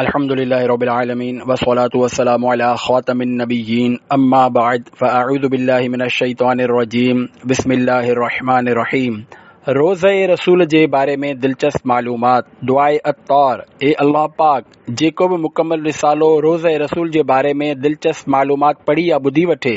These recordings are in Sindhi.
الحمد لله رب العالمين والصلاة والسلام على خاتم النبيين أما بعد فأعوذ بالله من الشيطان الرجيم بسم الله الرحمن الرحيم روضه رسول جي باري ۾ دلچسپ معلومات دعاء عطار اي الله پاڪ جيڪو به مڪمل رسالو روضه رسول جي باري ۾ دلچسپ معلومات پڙهي يا ٻڌي وٺي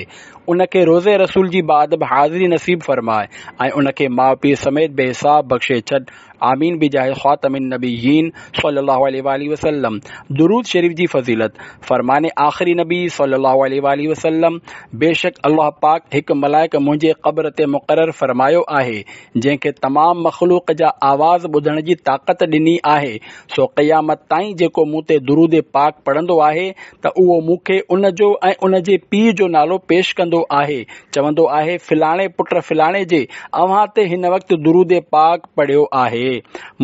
ان کي روضه رسول جي باادب حاضري نصيب فرماء ۽ ان کي ماء پيء سميت بي حساب بخشي ڇڏ آمين بجاه خاتم النبيين صلي الله عليه واٰله وسلم درود شريف جي فضيلت فرمان آخري نبي صلي الله عليه واٰله وسلم بيشڪ الله پاڪ هڪ ملائڪ منهنجي قبر تي مقرر فرمايو آهي جنهن کي تمام مخلوق جا آواز ٻڌڻ جي طاقت ڏني آهي سو قيامت تائين جيڪو مون تي درود پاڪ پڙهندو آهي ته اهو مون کي ان جو ۽ ان جي پيء جو نالو پيش ڪندو آهي چوندو آهي، فلاڻي پٽ فلاڻي جي اوهان تي هن وقت درود پاڪ پڙهيو آهي.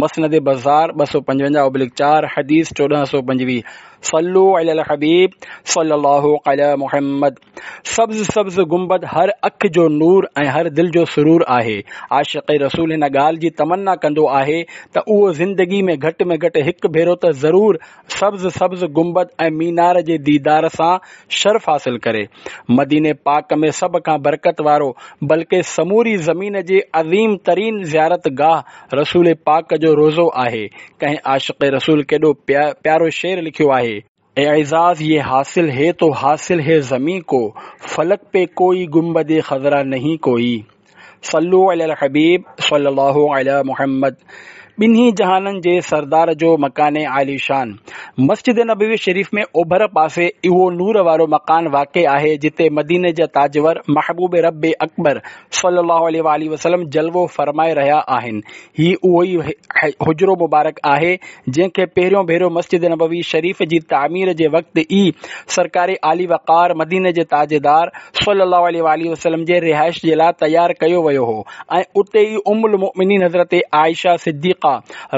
مسند بزار 255 اوبلڪ 4 حديث 1425 صلو علی الحبيب صلي الله علی محمد سبز سبز گنبد هر اک جو نور ۽ هر دل جو سرور آهي. عاشق رسول هن ڳالهه جي تمنا ڪندو آهي ته اهو زندگي ۾ گهٽ ۾ گهٽ هڪ ڀيرو ته ضرور سبز سبز گنبد ۽ مينار جي ديدار سان شرف حاصل ڪري. مديني پاڪ ۾ سڀ کان برڪت وارو بلڪه سموري زمين جي عظيم ترين زيارت گاهه رسول پاڪ جو روضو آهي. ڪنهن عاشق رسول ڪيڏو پيارو شعر لکيو آهي. اعزاز يه حاصل هي تو حاصل هي زمين ڪو، فلڪ پي ڪوئي گنبد خضرا نهين ڪوئي. صلو علی الحبيب صلي الله علی محمد ٻنهي جهانن جي سردار جو مڪان عاليشان مسجد نبوي شريف ۾ اوڀر پاسي اهو نور وارو مڪان واقع آهي جتي مديني جا تاجور محبوب رب اڪبر صلي الله عليه واٰله وسلم جلوو فرمائي رهيا آهن هي اهو ئي حجرو مبارڪ آهي جنهن کي پهريون ڀيرو مسجد نبوي شريف جي تعمير جي وقت ئي سرڪار عالي وقار مديني جي تاجدار صلي الله عليه واٰله وسلم جي رهائش جي لاء تيار ڪيو ويو هو ۽ اتي ئي ام المؤمنين حضرت عائشه صديقه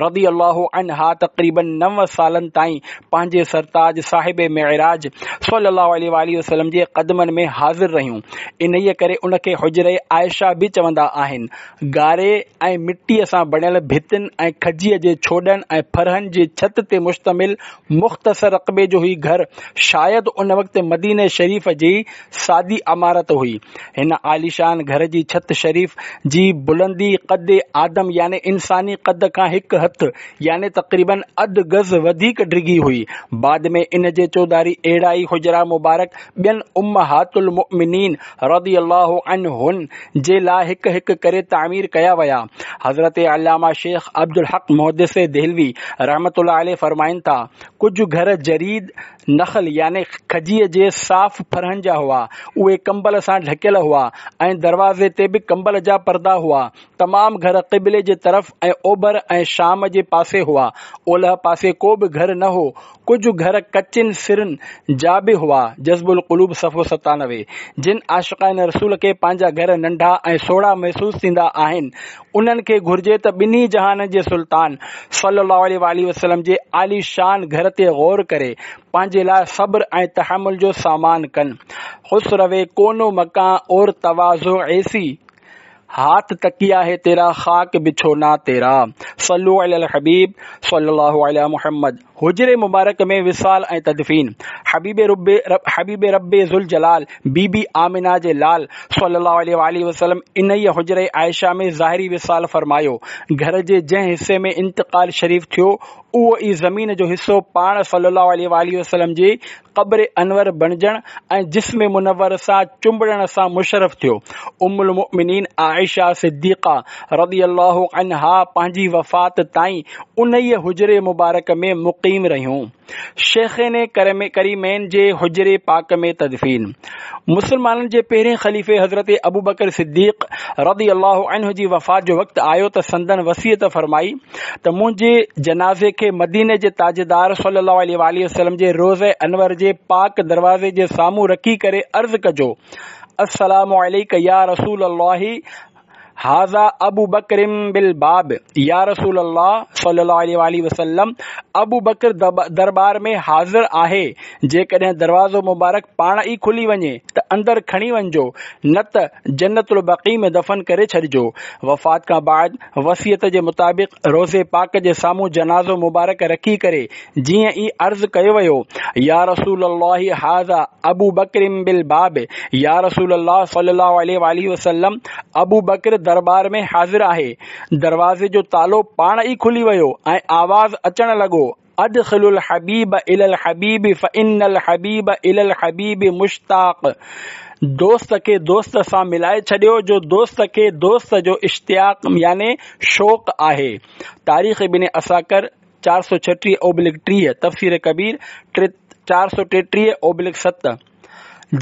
رضي الله عنها تقريباً نو سالن تائين پنهنجي سرتاج صاحب معراج صلي الله عليه واٰله وسلم جي قدمن ۾ حاضر رهيون انهيء ڪري ان کي حجره عائشه به چوندا آهن گاري ۽ مٽيء سان بڻيل ڀتين ۽ کجيء جي ڇوڏن ۽ ڦرهن جي ڇت تي مشتمل مختصر رقبي جو هي گهر شايد ان وقت مديني شريف جي سادي عمارت هئي. هن عاليشان گهر جي ڇت شريف جي بلندي قد آدم يعني انساني قد کان هڪ هٿ يعني تقريباً اڌ گز وڌيڪ ڊگهي هئي. بعد ۾ ان جي چوڌاري اهڙا ئي حجرا مبارڪ ٻين امهات المؤمنين رضي الله عنهن جي لاء هڪ هڪ ڪري تعمير ڪيا ويا. حضرت علامه شيخ عبدالحق محدث دهلوي رحمة الله عليه فرمائن ٿا، ڪجهه گهر جريد نخل يعني کجيء جي صاف ڦرهن جا هئا، اهي ڪمبل سان ڍڪيل هئا ۽ دروازي تي به ڪمبل جا پردا هئا. تمام گهر قبلي جي طرف ۽ اوڀر ۽ شام جي پاسي هئا. اولهه پاسي ڪو به گهر نه هو. ڪجهه گهر ڪچين سرن جا به هئا. جذب القلوب صفحو 97. جن عاشقان رسول کي پنهنجا گهر ننڍا ۽ سوڙها محسوس ٿيندا آهن، انهن کي گهرجي ته ٻنهي جهانن جي سلطان صلي الله عليه واٰله وسلم جي عالي شان گهر تي غور ڪري پنهنجي لاء صبر ۽ تحمل جو سامان ڪن. خسروي ڪون و مڪان اور تواضع ايسي. هاٿ تڪيا هي تيرا خاڪ بڇونا تيرا صلو علی الحبيب صلي الله علی محمد حجري مبارڪ ۾ وصال ۽ تدفين حبيب رب حبيب رب ذوالجلال بي بي آمنه جي لال صلي الله عليه واٰله وسلم انهيء حجري عائشه ۾ ظاهري وصال فرمايو گهر جي جنهن حصي ۾ انتقال شريف ٿيو اهو ئي زمين جو حصو پاڻ صلي الله عليه واٰله وسلم جي قبر انور بڻجڻ ۽ جسم منور سان چنبڙڻ سان مشرف ٿيو. ام المؤمنين عائشه صديقه رضي الله عنها پنهنجي وفات تائين انهيء حجري مبارڪ ۾ مقيم رهيون. شيخين ڪريمين جي حجري پاڪ ۾ تدفين. مسلمانن جي پهرين خليفي حضرت ابوبڪر صديق رضي الله عنه جي وفات جو وقت آيو ته سندن وصيت فرمائي ته منهنجي جنازي کي مديني جي تاجدار صلي الله عليه واٰله وسلم جي روضه انور جي پاڪ دروازي جي سامهون رکي ڪري عرض ڪجو السلام عليڪ يا رسول الله. هذا ابو بڪر بالباب، يا رسول الله صلي الله عليه واٰله وسلم ابو بڪر درٻار ۾ حاضر آهي، جيڪڏهن دروازو مبارڪ پاڻ ئي کلي وڃي ته اندر کڻي وڃجو، نه ته جنت البقيع ۾ دفن ڪري ڇڏجو. وفات کان بعد وصيت جي مطابق روضي پاڪ جي سامهون جنازو مبارڪ رکي ڪري جيئن ئي عرض ڪيو ويو، يا رسول الله هذا ابو بڪر بالباب، يا رسول الله صلي الله عليه واٰله وسلم ابو بڪر درٻار ۾ حاضر آهي. دروازي جو تالو پاڻ ئي کلي ويو ۽ آواز اچڻ لڳو، ادخلوا الحبيب الي الحبيب فان الحبيب الي الحبيب مشتاق، دوست کي دوست سان ملائي ڇڏيو جو دوست کي دوست جو اشتياق يعني شوق آهي. تاريخ ابن عساڪر 436 اوبلڪ 30، تفسير ڪبير 433 اوبلڪ 7.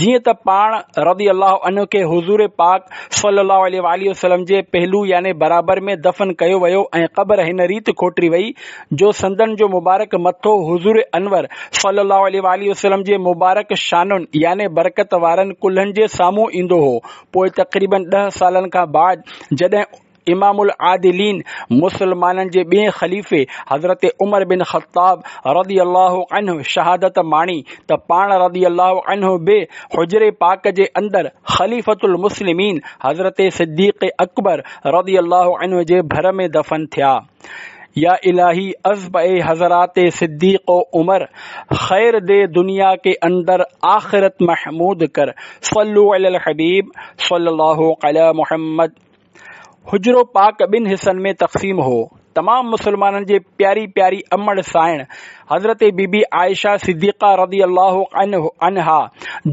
جيئن ته پاڻ رضي الله عنه کي حضور پاڪ صلي الله عليه واٰله وسلم جي پهلو يعني برابر ۾ دفن ڪيو ويو ۽ قبر هن ريت کوٽري وئي جو سندن جو مبارڪ مٿو حضور انور صلي الله عليه واٰله وسلم جي مبارڪ شانن يعني برڪت وارن ڪلهن جي سامهون ايندو هو. پوء تقريباً ڏهه سالن کان بعد جڏهن امام العادلين مسلمانن جي ٻئين خليفي حضرت عمر بن خطاب رضي الله عنه شهادت ماڻي ته پاڻ رضي الله عنه به حجري پاڪ جي اندر خليفة المسلمين حضرت صديق اڪبر رضي الله عنه جي ڀر ۾ دفن ٿيا. يا الهي عزب اي حضرات صديق و عمر خير the دنيا ڪي اندر آخرت محمود ڪر صلو علي الحبيب صلي الله علي محمد. حجرو پاڪ ٻن حصن ۾ تقسيم هو. تمام مسلمانن جي پياري پياري امڙ سائڻ حضرت بي بي عائشه صديقه رضي الله عنها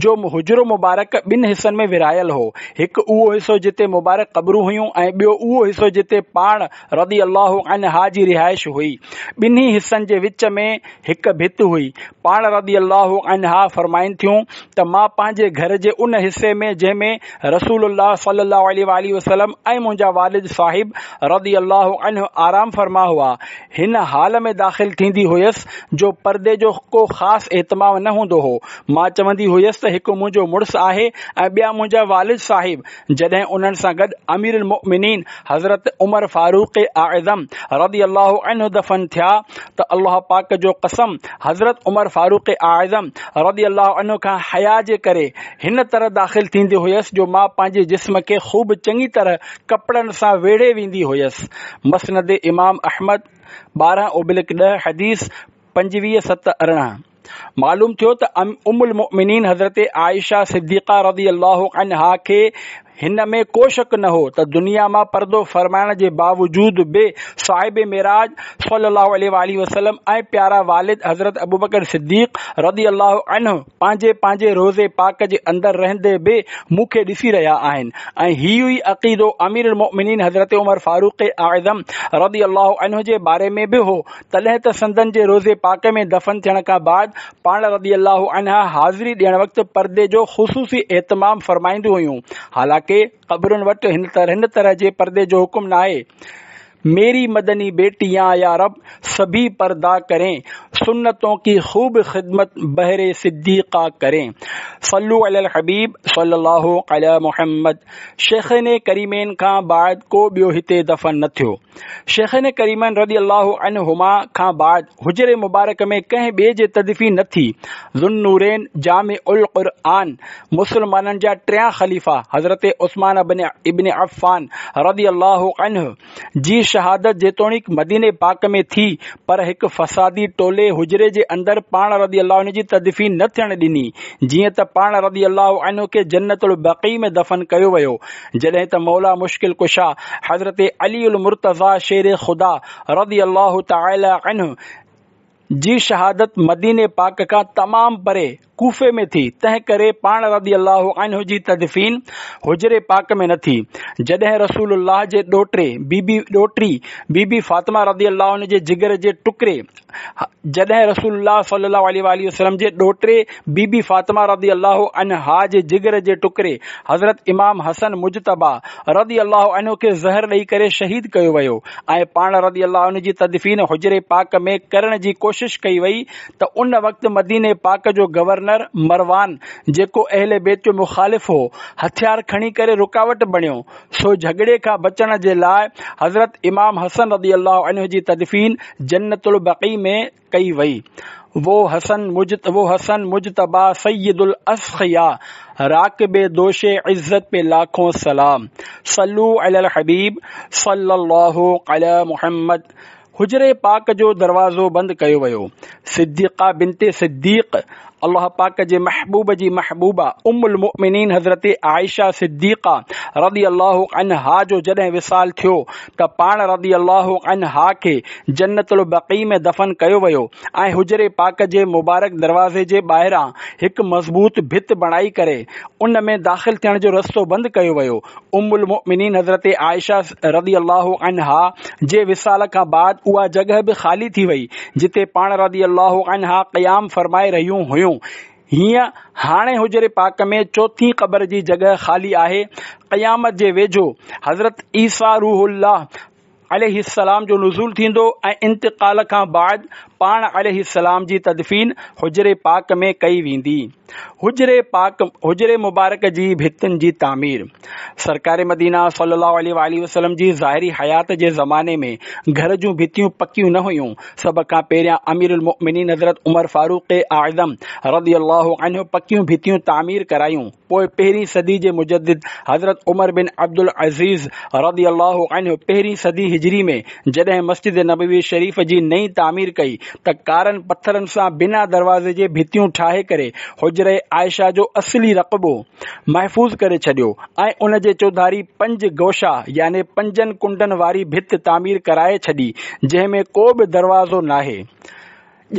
جو حجرو مبارڪ ٻن حصن ۾ ورهايل هو. هڪ اهو حصو جتي مبارڪ قبرون هيون ۽ ٻيو اهو حصو جتي پاڻ رضي الله عنها جي رهائش هئي. ٻنهي حصن جي وچ ۾ هڪ ڀت هئي. پاڻ رضي الله عنها فرمائن ٿيون ته مان پنهنجي گهر جي ان حصي ۾ جنهن ۾ رسول الله صلي الله عليه واٰله وسلم ۽ منهنجا والد صاحب رضي الله عنه آرام فرما هئا، هن حال ۾ داخل ٿيندي هيس جو پردي جو ڪو خاص اهتمام نه هوندو هو. مان چوندي هيس ته هڪ منهنجو مڙس آهي ۽ ٻيا منهنجا والد صاحب. جڏهن انهن سان گڏ امير المؤمنين حضرت عمر فاروق اعظم رضي الله عنه دفن ٿيا ته الله پاڪ جو قسم حضرت عمر فاروق اعظم رضي الله عنه کان حياء جي ڪري هن طرح داخل ٿيندي هيس جو مان پنهنجي جسم کي خوب چڱي طرح ڪپڙن سان ويڙهي ويندي هيس. مسند امام احمد 12 اوبلڪ 10 حديث 25 7 18. معلوم ٿيو ته ام المؤمنين حضرت عائشه صديقه رضي الله عنها کي هن ۾ ڪو شڪ نه هو ته دنيا مان پردو فرمائڻ جي باوجود به صاحب معراج صلي الله عليه واٰله وسلم ۽ پيارا والد حضرت ابوبڪر صديق رضي الله عنه پنهنجي پنهنجي روضي پاڪ جي اندر رهندي به مون کي ڏسي رهيا آهن ۽ هي ئي عقيدو امير المؤمنين حضرت عمر فاروق اعظم رضي الله عنه جي باري ۾ به هو تڏهن ته سندن جي روضي پاڪ ۾ دفن ٿيڻ کان بعد پاڻ رضي الله عنها حاضري ڏيڻ وقت پردي جو خصوصي اهتمام فرمائينديون هيون، حالانڪه قبرن وٽ هن طرح جي پردي جو حڪم ناهي. ميري مدني بيٽيان يا رب سڀي پردا ڪرين، سنتون ڪي خوب خدمت بهر صديقه ڪرين. صلو علي الحبيب صلي الله علي محمد. شيخين ڪريمين کان بعد ڪو ٻيو هتي دفن نه ٿيو. شيخين ڪريمين رضي الله عنهما کان بعد حجري مبارڪ ۾ ڪنهن ٻئي جي تدفين نه ٿي. ذوالنورين جامع القرآن مسلمانن جا ٽيان خليفا حضرت عثمان ابن عفان رضي الله عنه جي شهادت جيتوڻيڪ مديني پاڪ ۾ ٿي پر هڪ فسادي ٽولي حجري جي اندر پاڻ رضي الله عنه جي تدفين نه ٿيڻ ڏني جيئن ته پاڻ رضي الله عنه کي جنت البقيع ۾ دفن ڪيو ويو جڏهن ته مولا مشڪل ڪشا حضرت علي المرتضيٰ شير خدا رضي الله تعالٰي عنه جي شهادت مديني پاڪ کان تمام پري ڪوفي ۾ ٿي، تنهن ڪري پاڻ رضي الله عنه جي تدفين حجري پاڪ ۾ نه ٿي. جڏهن رسول الله جي ڏوهٽي بي بي ڏوهٽي بي بي فاطمه رضي الله عنه جي جگر جي ٽڪري جڏهن رسول الله صلي الله عليه واٰله وسلم جي ڏوهٽي بي بي فاطمه رضي الله عنها جي جگر جي ٽڪري حضرت امام حسن مجتبيٰ رضي الله عنه کي زهر ڏئي ڪري شهيد ڪيو ويو ۽ پاڻ رضي الله عنه جي تدفين حجري پاڪ ۾ ڪرڻ جي ڪوشش ڪئي وئي ته ان وقت مديني پاڪ جو گورنر گورنر مروان جيڪو اهل بيت جو مخالف هو، هٿيار کڻي ڪري رڪاوٽ بڻيو، سو جهڳڙي کان بچڻ جي لاء حضرت امام حسن رضي الله عنه جي تدفين جنت البقيع ۾ ڪئي وئي. وو حسن وو حسن مجتبيٰ سيد الاسخياء راڪب دوش عزت پي لاکون سلام صلو علي الحبيب صلي الله علي محمد حجري پاڪ جو دروازو بند ڪيو ويو. صديقه بنت صديق، الله پاڪ جي محبوب جي محبوبه ام المؤمنين حضرت عائشه صديقه رضي الله عنها جو جڏهن وصال ٿيو ته پاڻ رضي الله عنها کي جنت البقيع ۾ دفن ڪيو ويو ۽ حجري پاڪ جي مبارڪ دروازي جي ٻاهران هڪ مضبوط ڀت بڻائي ڪري ان ۾ داخل ٿيڻ جو رستو بند ڪيو ويو. ام المؤمنين حضرت عائشه رضي الله عنها جي وصال کان بعد اها جڳهه به خالي ٿي وئي جتي پاڻ رضي الله عنها قيام فرمائي رهيون هيون. هينئن هاڻي حجري پاڪ ۾ چوٿين قبر جي جڳهه خالي آهي. قيامت جي ويجهو حضرت عيسيٰ روح الله عليه السلام جو نزول ٿيندو ۽ انتقال کان بعد پاڻ عليه السلام جي تدفين حجري پاڪ ۾ ڪئي ويندي. حجري پاڪ حجري مبارڪ جي ڀتين جي تعمير سرڪار مدينه صلي الله عليه واٰله وسلم جي ظاهري حيات جي زماني ۾ گهر جون ڀتيون پڪيون نه هيون. سڀ کان پهريان امير المؤمنين حضرت عمر فاروق اعظم رضي الله عنه پڪيون ڀتيون تعمير ڪرايون. پوء پهرين صدي جي مجدد حضرت عمر بن عبدالعزيز رضي الله عنه پهرين صدي هجري ۾ جڏهن مسجد نبوي شريف جي نئين تعمير ڪئي ته ڪارن پٿرن سان بنا دروازي جي ڀتيون ٺاهي ڪري حجره عائشه جو اصلي رقبو محفوظ ڪري ڇڏيو ۽ ان جي چوڌاري پنج گوشا يعني پنجن ڪنڊن واري ڀت تعمير ڪرائي ڇڏي جنهن ۾ ڪو به دروازو ناهي.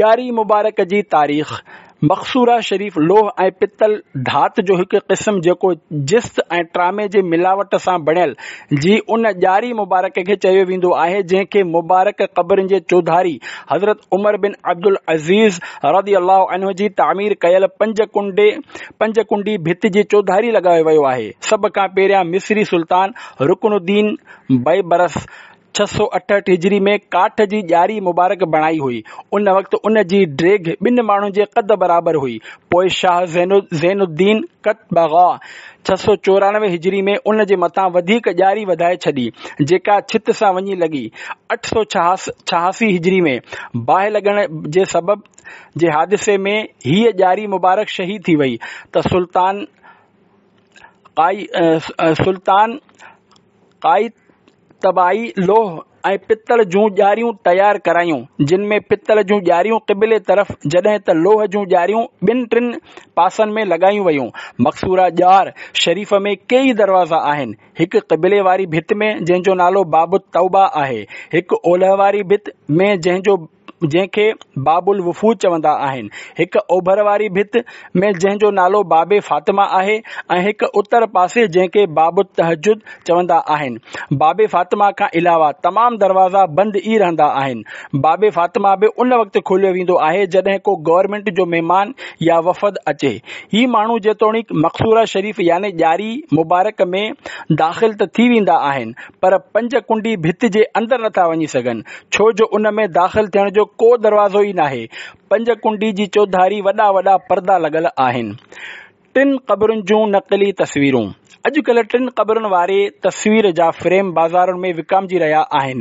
ڄاري مبارڪ جي تاريخ، مقصوره شريف لوهه ۽ پتل ڌات جو هڪ قسم جيڪو جست ۽ ٽرامي جي ملاوٽ سان بڻيل، جي ان ڄاري مبارڪ کي چيو ويندو آهي جنهن کي مبارڪ قبرن جي چوڌاري حضرت عمر بن عبدالعزيز رضي الله عنه جي تعمير ڪيل پنج ڪنڊي پنج ڪنڊي ڀت جي چوڌاري لڳايو ويو آهي. سڀ کان پهريان مصري سلطان رڪن الدين بيبرس 668 هجري ۾ ڪاٺ جي ڄاري مبارڪ بڻائي هئي. ان وقت ان جي ڊيگهه ٻن ماڻهن جي قد برابر هئي. پوء شاهه زين الدين قطبغا 694 هجري ۾ ان جي مٿان وڌيڪ ڄاري وڌائي ڇڏي، جيڪا ڇت سان وڃي لڳي. 886 هجري ۾ باهه لڳڻ جي سبب جي حادثي ۾ هيء ڄاري مبارڪ شهيد ٿي وئي ته سلطان سلطان قائتبائي لوهه ۽ پتل جون ڄاريون تيار ڪرايون، جن ۾ پتل جون ڄاريون قبلي طرف جڏهن ته لوهه جون ڄاريون ٻن ٽن پاسن ۾ لڳايون ويون. مقصوره ڄار شريف ۾ ڪيئي دروازا آهن. هڪ قبلي واري ڀت ۾ جنهن جو نالو باب التوبه آهي، هڪ اولهه واري ڀت ۾ جنهن جو جنهن کي باب الوفود چوندا آهن، هڪ اوڀر واري ڀت ۾ جنهن جو نالو باب فاطمه آهي ۽ هڪ اتر پاسي جنهن کي باب التهجد چوندا آهن. باب فاطمه کان علاوه تمام دروازا بند ئي رهندا آهن. باب فاطمه به ان وقت کوليو ويندو آهي جڏهن ڪو گورنمينٽ جو مهمان يا وفد اچي. هي ماڻهو جيتوڻيڪ مقصوره شريف يعني ڄاري مبارڪ ۾ داخل ته ٿي ويندا آهن پر پنج ڪنڊي ڀت جي اندر نٿا وڃي سگهن، ڇو جو ان ۾ داخل ٿيڻ جو ڪو دروازو ئي ناهي. پنج ڪنڊي جي چوڌاري وڏا وڏا پردا لڳل آهن. ٽن قبرن جون نقلي تصويرون اڄڪلهه ٽن قبرن واري تصوير جا فريم بازارن ۾ وڪامجي رهيا آهن،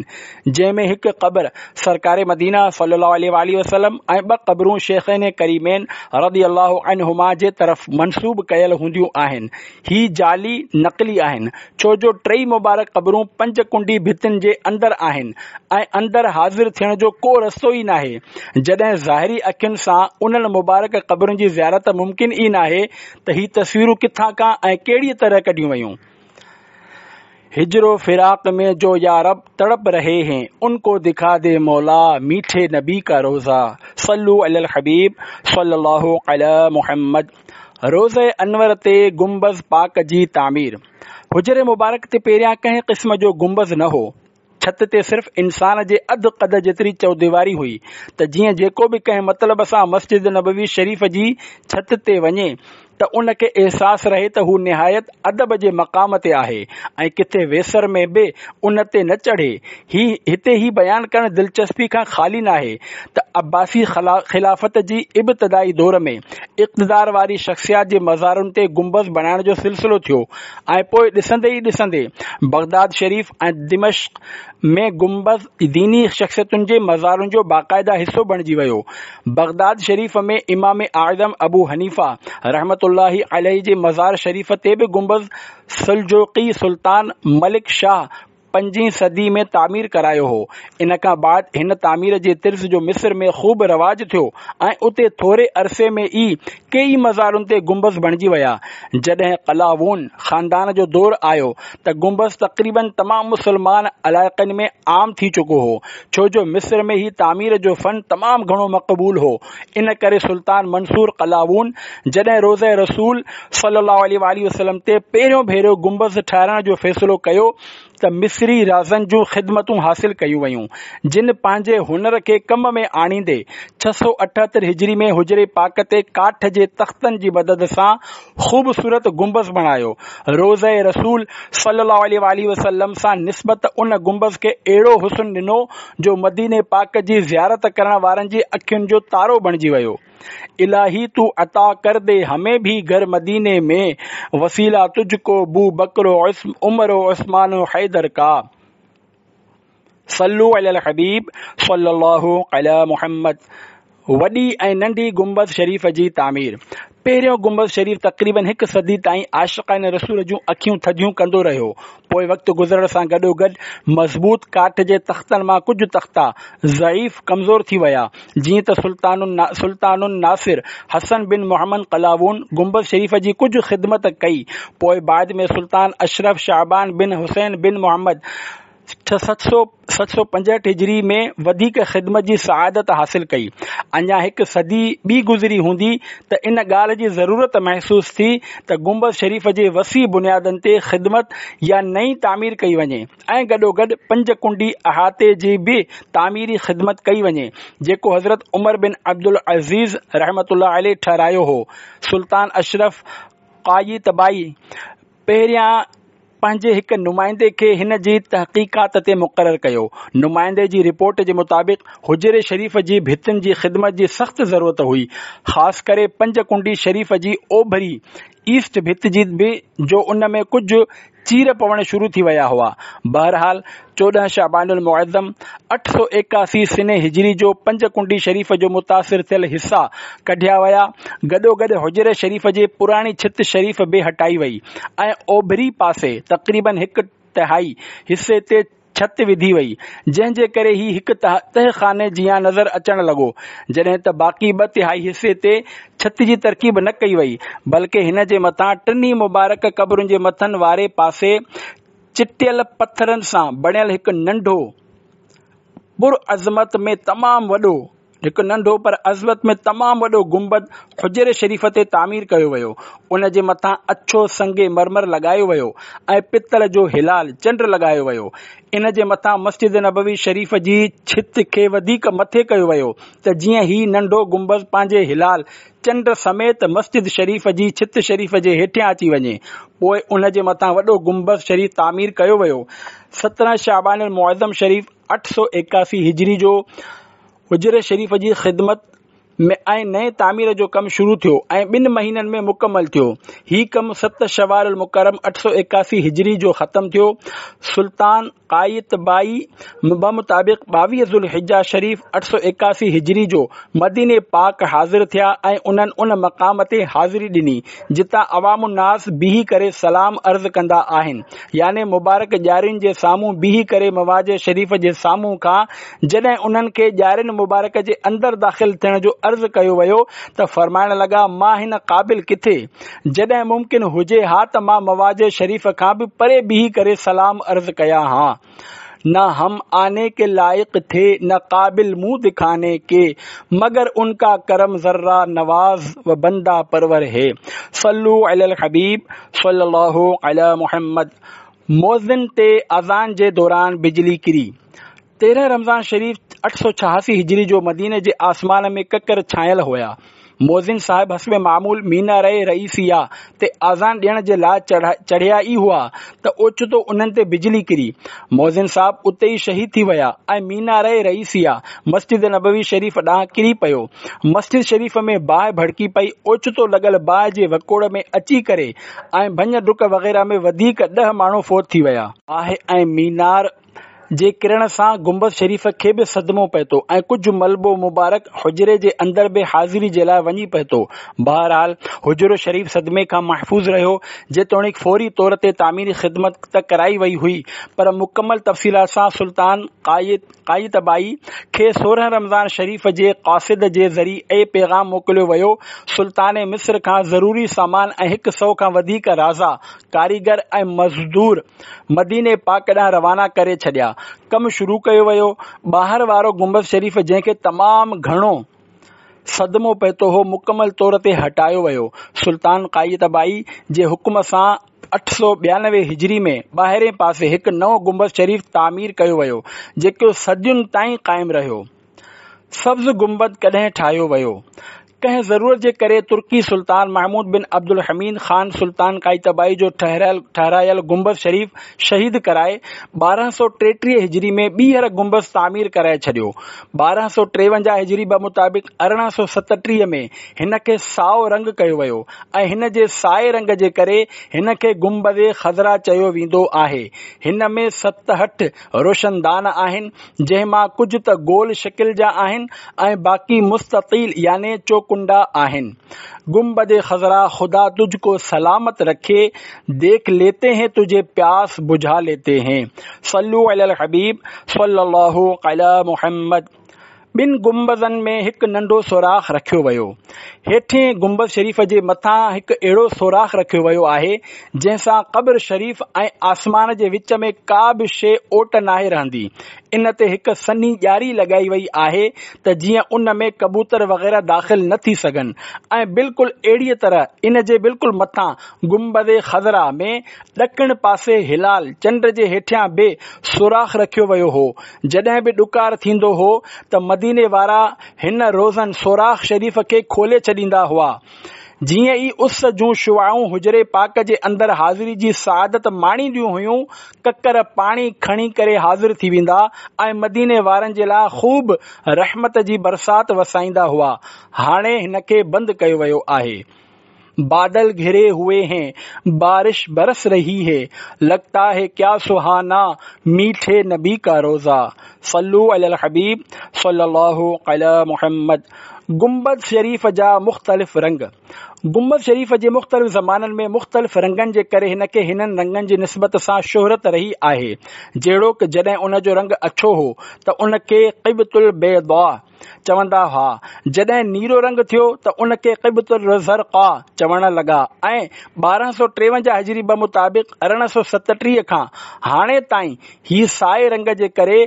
جنهن ۾ هڪ قبر سرڪار مدينه صلي الله عليه واٰله وسلم ۽ ٻه قبرون شيخين ڪريمين رضي الله عنهما جي طرف منسوب ڪيل هونديون آهن. هي جعلي، نقلي، آهن، ڇو جو ٽئي مبارڪ قبرون پنج ڪنڊي ڀتين جي اندر آهن ۽ اندر حاضر ٿيڻ جو ڪو رستو ئي ناهي. جڏهن ظاهري اکين سان انهن مبارڪ قبرن جي زيارت ممڪن ئي ناهي ته هي تصويرون ڪٿان کان ۽ ڪهڙيء طرح ڪڍيون ويون؟ هجر و فراق ۾ جو يا رب تڙپ رهي هين ان ڪو دکا the مولا ميٺي نبي ڪا روضه صلو علي الحبيب صلي الله علي محمد روضه انور تي گنبذ پاڪ جي تعمير حجر مبارڪ تي پهريان ڪنهن قسم جو گنبذ نه هو ڇت تي صرف انسان جي اڌ قد جيتري چوديواري هئي ته جيئن جيڪو به ڪنهن مطلب سان مسجد نبوي شريف جي ڇت تي وڃي ته ان کي احساس رهي ته هو نهايت ادب جي مقام تي آهي ۽ ڪٿي ويسر ۾ به ان تي نه چڙهي. هي هتي هي بيان ڪرڻ دلچسپي کان خالي ناهي ته عباسي خلافت جي ابتدائي دور ۾ اقتدار واري شخصيات جي مزارن تي گنبذ بڻائڻ جو سلسلو ٿيو ۽ پوء ڏسندي ئي ڏسندي بغداد شريف ۽ دمشق ۾ گنبذ ديني شخصيتن جي مزارن جو باقاعده حصو بڻجي ويو. بغداد شريف ۾ امام اعظم ابو حنيفه رحمة الله عليه جي مزار شريف تي به گنبذ سلجوقي سلطان ملڪ شاهه پنجين صدي ۾ تعمير ڪرايو هو. ان کان بعد هن تعمير جي طرز جو مصر ۾ خوب رواج ٿيو ۽ اتي ٿوري عرصي ۾ ئي ڪيئي مزارن تي گنبذ بڻجي ويا. جڏهن قلاوون خاندان جو دور آيو ته گنبذ تقريباً تمام مسلمان علائقن ۾ عام ٿي چڪو هو، ڇو جو مصر ۾ هي تعمير جو فن تمام گهڻو مقبول هو. ان ڪري سلطان منصور قلاوون جڏهن روضه رسول صلي الله عليه واٰله وسلم تي پهريون ڀيرو گنبذ ٺاهرائڻ جو فيصلو ڪيو ته مصري رازن جون خدمتون حاصل ڪيون ويون، جن پنهنجي هنر کي ڪم ۾ آڻيندي 678 هجري ۾ حجري پاڪ تي ڪاٺ جي تختن جي مدد سان خوبصورت گنبذ بڻايو. روضه رسول صلي الله عليه واٰله وسلم سان نسبت ان گنبذ کي اهڙو حسن ڏنو جو مديني پاڪ جي زيارت ڪرڻ وارن جي اکين جو تارو بڻجي ويو. الٰهي تو عطا ڪر the همين ڀي گهر مديني ۾ وسيله تجھ ڪو بو بڪر و عمر و عثمان و حيدر ڪا. صلو علي الحبيب صلي الله علي محمد وڏي ۽ ننڍي گنبذ شريف جي تعمير پهريون گنبذ شريف تقريباً هڪ صدي تائين عاشقان رسول جون اکيون ٿڌيون ڪندو رهيو. پوء وقت گذرڻ سان گڏوگڏ مضبوط ڪاٺ جي تختن مان ڪجهه تختا ضعيف، ڪمزور ٿي ويا. جيئن ته سلطان الناصر حسن بن محمد قلاوون گنبذ شريف جي ڪجهه خدمت ڪئي. پوء بعد ۾ سلطان اشرف شعبان بن حسين بن محمد 765 هجري ۾ وڌيڪ خدمت جي سعادت حاصل ڪئي. اڃا هڪ صدي ٻي گذري هوندي ته ان ڳالهه جي ضرورت محسوس ٿي ته گنبذ شريف جي وسيع بنيادن تي خدمت يا نئين تعمير ڪئي وڃي ۽ گڏوگڏ پنج ڪنڊي احاطي جي به تعميري خدمت ڪئي وڃي جيڪو حضرت عمر بن عبدالعزيز رحمة الله عليه ٺهرايو هو. سلطان اشرف قايتبائي پهريان پنهنجي هڪ نمائندي کي هن جي تحقيقات تي مقرر ڪيو. نمائندي جي رپورٽ جي مطابق حجري شريف جي ڀتين جي خدمت جي سخت ضرورت هئي، خاص ڪري پنج ڪنڊي شريف جي اوڀري، East، ڀت جي به جو ان ۾ ڪجهه چير پوڻ شروع ٿي ويا هئا. بهرحال 14 شعبان المعظم 881 سنه هجري جو پنج ڪنڊي شريف جو متاثر ٿيل حصا ڪڍيا ويا، گڏوگڏ حجري شريف جي پراڻي ڇت شريف به هٽائي وئي ۽ اوڀري پاسي تقريباً هڪ تهائي حصي تي ڇت وڌي وئي، جنهن جي ڪري هي هڪ تهه خاني جيان نظر اچڻ لڳو، جڏهن ته باقي ٻه تهائي حصي تي ڇت جي ترڪيب نه ڪئي وئي، بلڪه هن جي مٿان ٽنهي مبارڪ قبرن جي مٿن واري پاسي چٽيل پٿرن سان بڻيل هڪ ننڍو پر عظمت ۾ تمام وڏو هڪ ننڍو پر عظمت ۾ تمام وڏو گنبد حجري شريف تي تعمير ڪيو ويو. ان جي مٿان اڇو سنگ مرمر لڳايو ويو ۽ پتل جو هلال، چنڊ، لڳايو ويو. ان جي مٿان مسجد نبوي شريف جي ڇت کي وڌيڪ مٿي ڪيو ويو ته جيئن هي ننڍو گنبذ پنهنجي هلال، چنڊ، سميت مسجد شريف جي ڇت شريف جي هيٺيان اچي وڃي. پوء ان جي مٿان وڏو گنبذ شريف تعمير ڪيو ويو. 17 شعبان المعظم شريف 881 هجري جو حجري شريف جي خدمت ۾ ۽ نئين تعمير جو ڪم شروع ٿيو ۽ ٻن مهينن ۾ مڪمل ٿيو. هي ڪم 7 شوال المڪرم 881 هجري جو ختم ٿيو. سلطان قايتبائي بمطابق 22 ذوالحجه شريف 881 هجري جو مديني پاڪ حاضر ٿيا ۽ انهن ان مقام تي حاضري ڏني جتان عوام الناس بيهي ڪري سلام عرض ڪندا آهن يعني مبارڪ ڄارين جي سامهون بيهي ڪري مواجه شريف جي سامهون کان جڏهن انهن کي ڄارين مبارڪ جي اندر داخل ٿيڻ جو عرض ڪيو ويو ته فرمائڻ لڳا مان هن قابل ڪٿي جڏهن ممڪن هجي ها ته مان مواجه شريف کان به پري بيهي ڪري سلام عرض ڪيان ها. نه هم آني ڪي لائق ٿي نه قابل منهن دکاني ڪي مگر ان ڪا ڪرم ذره نواز و بنده پرور هي صلو علی الحبيب صلي الله علي محمد مؤذن تي اذان جي دوران بجلي ڪري 13 رمضان شريف 886 هجري جو مديني جي آسمان ۾ ڪڪر ڇانيل هيا. مؤذن صاحب حسب معمول ميناره رئيسيه تي آذان ڏيڻ جي لاء چڙهيا ئي هئا ته اوچتو انهن تي بجلي ڪري. مؤذن صاحب اتي ئي شهيد ٿي ويا ۽ ميناره رئيسيه مسجد نبوي شريف ڏانهن ڪري پيو. مسجد شريف ۾ باهه ڀڙڪي پئي. اوچتو لڳل باهه جي وڪوڙ ۾ اچي ڪري ۽ ڀڃ ڊڪ وغيره ۾ وڌيڪ ڏهه ماڻهو فوت ٿي ويا. باهه ۽ مينار جي ڪرڻ سان گنبذ شريف کي به صدمو پهتو ۽ ڪجهه ملبو مبارڪ حجري جي اندر به حاضري جي لاء وڃي پهتو. بهرحال حجرو شريف صدمي کان محفوظ رهيو. جيتوڻيڪ فوري طور تي تعميري خدمت ته ڪرائي وئي هئي پر مڪمل تفصيلات سان سلطان قايتبائي کي 16 رمضان شريف جي قاصد جي ذريعي پيغام موڪليو ويو. سلطان مصر کان ضروري سامان ۽ هڪ سئو کان وڌيڪ رازا، ڪاريگر ۽ مزدور مديني پاڪ ڏانهن روانا ڪري ڇڏيا. ڪم شروع ڪيو ويو. ٻاهر وارو گنبذ شريف جنهن کي تمام گهڻو صدمو پهتو هو، مڪمل طور تي هٽايو ويو. سلطان قايتبائي جي حڪم سان 892 هجري ۾ ٻاهرين پاسي هڪ نئون گنبذ شريف تعمير ڪيو ويو، جيڪو صدين تائين قائم رهيو. سبز گنبد ڪڏهن ٺاهيو ويو؟ ڪنهن ضرورت جي ڪري ترڪي سلطان محمود بن عبدالحميد خان سلطان قايتبائي جو ٺهرايل گنبذ شريف شهيد ڪرائي 1233 هجري ۾ ٻيهر گنبذ تعمير ڪرائي ڇڏيو. 1253 هجري بمطابق 1837 ۾ هن کي سائو رنگ ڪيو ويو ۽ هن جي سائي رنگ جي ڪري هن کي گنبذ خضرا چيو ويندو آهي. هن ۾ 67 روشندان آهن جنهن مان ڪجهه ته گول شڪل جا آهن ۽ باقي مستطيل يعني چوڪنڊا آهن. گنبد خضرا خدا تجھ ڪو سلامت رکي، ديک ليتي هين تجھي پياس بجھا ليتي هين. صلو علي الحبيب صلي الله علي محمد. ٻن گنبذن ۾ هڪ ننڍو سوراخ رکيو ويو. هيٺين گنبذ شريف جي مٿان هڪ اهڙو سوراخ رکيو ويو آهي، جنهن سان قبر شريف ۽ آسمان جي وچ ۾ ڪا به شيء اوٽ ناهي رهندي. ان تي هڪ سنهي ڄاري لڳائي وئي آهي ته جيئن ان ۾ ڪبوتر وغيره داخل نه ٿي سگهن ۽ بلڪل اهڙيء طرح ان جي بلڪل مٿان گنبذ خضرا ۾ ڏکڻ پاسي هلال، چنڊ، جي هيٺيان به سوراخ رکيو ويو هو. جڏهن به ڏڪار ٿيندو هو ته مديني وارا هن روزن سوراخ شريف کي کولي ڇڏيندا هئا. جيئن ئي اس جون شعاعون حجري پاڪ جي اندر حاضري جي سعادت ماڻينديون هيون، ڪڪر پاڻي کڻي ڪري حاضر ٿي ويندا ۽ مديني وارن جي لاء خوب رحمت جي برسات وسائيندا هئا. هاڻي هن کي بند ڪيو ويو آهي. بادل گهري هئي هين بارش برس رهي هي لگتا هي ڪيا سهانا ميٺي نبي ڪا روزه صلو علي الحبيب صلي الله علي محمد گنبد شريف جا مختلف رنگ گنبد شريف جي مختلف زمانن ۾ مختلف رنگن جي ڪري هن کي هنن رنگن جي نسبت سان شهرت رهي آهي جهڙوڪ جڏهن ان جو رنگ اڇو هو ته ان کي قبط البيضاء چوندا هئا. جڏهن نيرو رنگ ٿيو ته ان کي قبط الزرقاء چوڻ لڳا ۽ 1253 هجري بمطابق 1837 کان هاڻي تائين هي سائي رنگ جي ڪري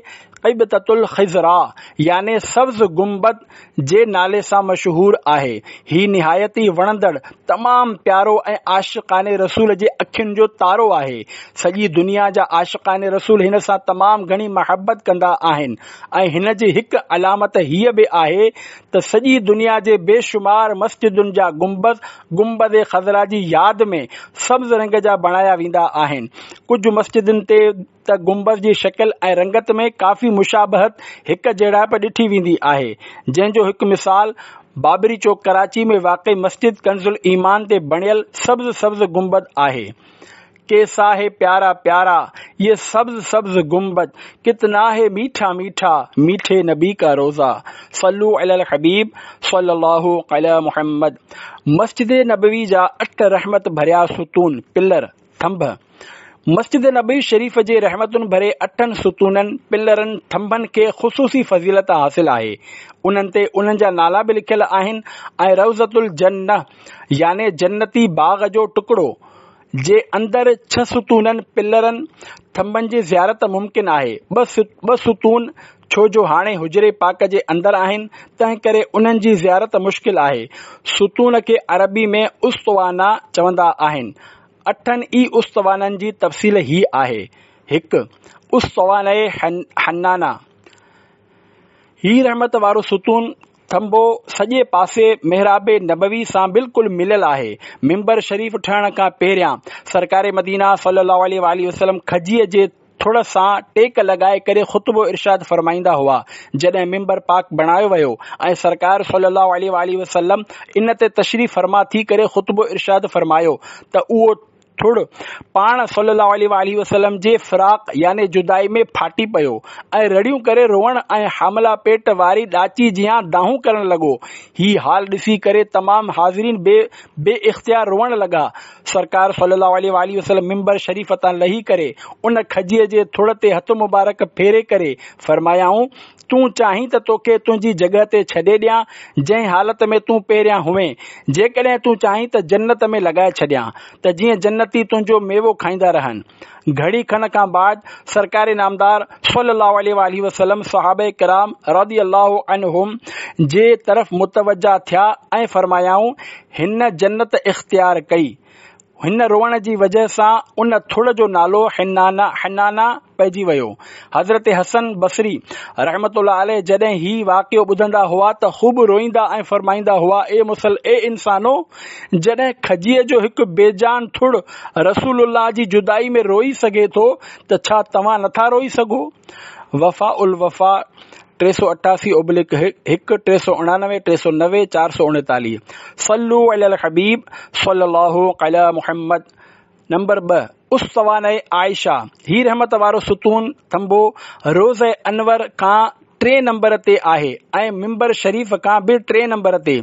قبطة الخضراء يعني سبز گنبد جي نالي سان مشهور آهي. هي نهايت ئي وڻندڙ، تمام پيارو ۽ عاشقان رسول جي اکين جو تارو آهي. سڄي دنيا جا عاشقان رسول هن سان تمام گهڻي محبت ڪندا آهن. ۽ هن جي هڪ علامت هيء به آهي ته سڄي دنيا جي بي شمار مسجدن جا گنبذ گنبذ خضرا جي ياد ۾ سبز رنگ جا بڻايا ويندا آهن. ڪجهه مسجدن تي ته گنبذ جي شڪل ۽ رنگت ۾ ڪافي مشابهت هڪ جهڙائپ ڏٺي ويندي آهي، جنهن جو هڪ مثال بابري چوڪ ڪراچي ۾ واقع مسجد ڪنز الايمان تي بڻيل سبز سبز گنبد آهي. ڪيسا هي پيارا پيارا يه سبز سبز گنبد ڪتنا هي ميٺا ميٺا ميٺي نبي ڪا روضه صلو علي الحبيب صلي الله علي محمد مسجد نبوي جا اٺ رحمت ڀريا ستون، پلر، ٿنڀ، مسجد نبوي شريف جي رحمتن ڀري اٺن ستونن، پلرن، ٿنڀن کي خصوصي فضيلت حاصل آهي. انهن تي انهن جا نالا به لکيل آهن ۽ روضة الجنة يعني جنتي باغ جو ٽڪڙو، جي اندر ڇهه ستونن، پلرن، ٿنڀن جي زيارت ممڪن آهي. ٻه ستون ڇو جو هاڻي حجري پاڪ جي اندر آهن، تنهن ڪري انهن جي زيارت مشڪل آهي. ستون کي عربي ۾ اسطوانه چوندا آهن. اٺن ئي اسطوانن جي تفصيل هيء آهي، هڪ. اسطوانه حنانه، هي رحمت وارو ستون ٿنڀو سڄي پاسي محراب نبوي سان بلڪل مليل آهي. منبر شريف ٺهڻ کان پهريان سرڪار مدينه صلي الله عليه واٰله وسلم کجيء جي ٿڙ سان ٽيڪ لڳائي ڪري خطبو ارشاد فرمائيندا هئا. جڏهن منبر پاڪ بڻايو ويو ۽ سرڪار صلي الله عليه واٰله وسلم ان تي تشريف فرما ٿي ڪري خطبو ارشاد فرمايو ته اهو ٿڙ پاڻ صلّي اللّٰه عليه واٰله وسلّم جي فراق يعني جدائي ۾ ڦاٽي پيو ۽ رڙيون ڪري روئڻ ۽ حامله پيٽ واري ڏاچي جيان دانهون ڪرڻ لڳو. هي حال ڏسي ڪري تمام حاضرين به بي اختيار روئڻ لڳا. سرڪار صلّي اللّٰه عليه واٰله وسلّم منبر شريف تان لهي ڪري ان کجيء جي ٿڙ تي هٿ مبارڪ ڦيري ڪري فرمايائون، تون چاهين ته توکي تنهنجي جڳهه تي ڇڏي ڏيان، جنهن حالت ۾ تون پهريان هئين. جيڪڏهن تون چاهين ته جنت ۾ لڳائي ڇڏيان، ته جيئن جنتي تنهنجو ميوو کائيندا رهن. گهڙي کن کان بعد سرڪار نامدار صلّي اللّٰه عليه واٰله وسلّم صحابه ڪرام رضي الله عنهم جي طرف متوجه ٿيا ۽ فرمايائون، هن جنت اختيار ڪئي. هن روئڻ جي وجه سان ان ٿڙ جو نالو حنانه، حنانه، پئجي ويو. حضرت حسن بصري رحمة الله عليه جڏهن هي واقعو ٻڌندا هئا ته خوب روئيندا ۽ فرمائيندا هئا، اي مسل اي انسانو! جڏهن کجيء جو هڪ بي جان ٿڙ رسول الله جي جدائي ۾ روئي سگهي ٿو ته ڇا توهان نٿا روئي سگهو؟ وفاء الوفا 388 اوبلڪ 1 399 390 439 صلو علی الحبيب صلي الله علی محمد نمبر 2 اسطوانه عائشه هي رحمت وارو ستون ٿنڀو روضه انور کان ٽئين نمبر تي آهي ۽ منبر شريف کان به ٽئين نمبر تي